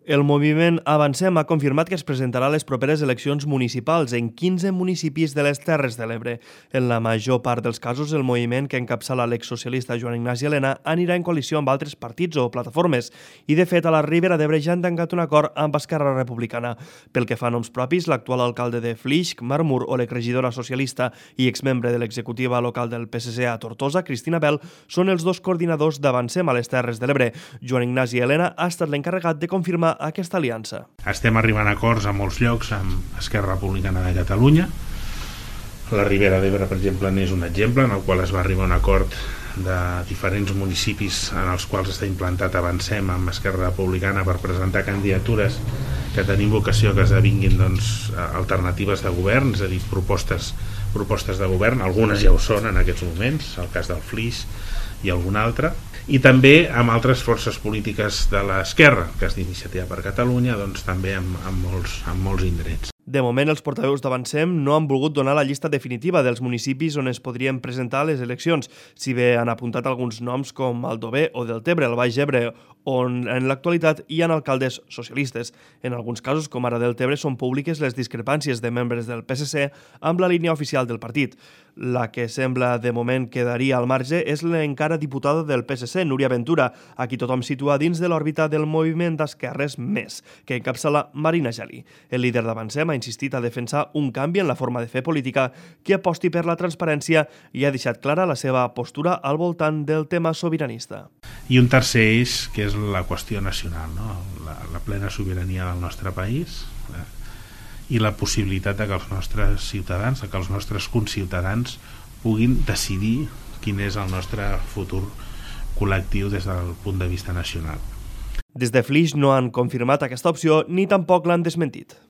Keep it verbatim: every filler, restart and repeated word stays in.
El moviment Avancem ha confirmat que es presentarà a les properes eleccions municipals en quinze municipis de les Terres de l'Ebre. En la major part dels casos, el moviment que encapçala l'exsocialista Joan Ignasi Elena anirà en coalició amb altres partits o plataformes i, de fet, a la Ribera d'Ebre ja han tancat un acord amb Esquerra Republicana. Pel que fa a noms propis, l'actual alcalde de Flix, Marmur, o l'exregidora socialista i exmembre de l'executiva local del P S C a Tortosa, Cristina Bel, són els dos coordinadors d'Avancem a les Terres de l'Ebre. Joan Ignasi Elena ha estat l'encarregat de confirmar aquesta aliança. Estem arribant a acords a molts llocs amb Esquerra Republicana de Catalunya. La Ribera d'Ebre, per exemple, n'és un exemple en el qual es va arribar a un acord de diferents municipis en els quals està implantat Avancem amb Esquerra Republicana per presentar candidatures que tenim vocació que esdevinguin doncs, alternatives de govern, és a dir, propostes, propostes de govern. Algunes ja ho són en aquests moments, el cas del Flix i algun altre. I també amb altres forces polítiques de l'esquerra, el cas d'Iniciativa per Catalunya, doncs també amb, amb, molts, amb molts indrets. De moment, els portaveus d'Avancem no han volgut donar la llista definitiva dels municipis on es podrien presentar les eleccions, si bé han apuntat alguns noms com Aldover o Deltebre, al Baix Ebre, on en l'actualitat hi ha alcaldes socialistes. En alguns casos, com ara Deltebre, són públiques les discrepàncies de membres del P S C amb la línia oficial del partit. La que sembla de moment quedaria al marge és l'encara diputada del P S C, Núria Ventura, a qui tothom situa dins de l'òrbita del moviment d'esquerres Més, que encapçala Marina Geli. El líder d'Avancem ha insistit a defensar un canvi en la forma de fer política que aposti per la transparència i ha deixat clara la seva postura al voltant del tema sobiranista. I un tercer eix, que és la qüestió nacional, no? la, la plena sobirania del nostre país eh, i la possibilitat de que els nostres ciutadans, de que els nostres conciutadans puguin decidir quin és el nostre futur col·lectiu des del punt de vista nacional. Des de Flix no han confirmat aquesta opció ni tampoc l'han desmentit.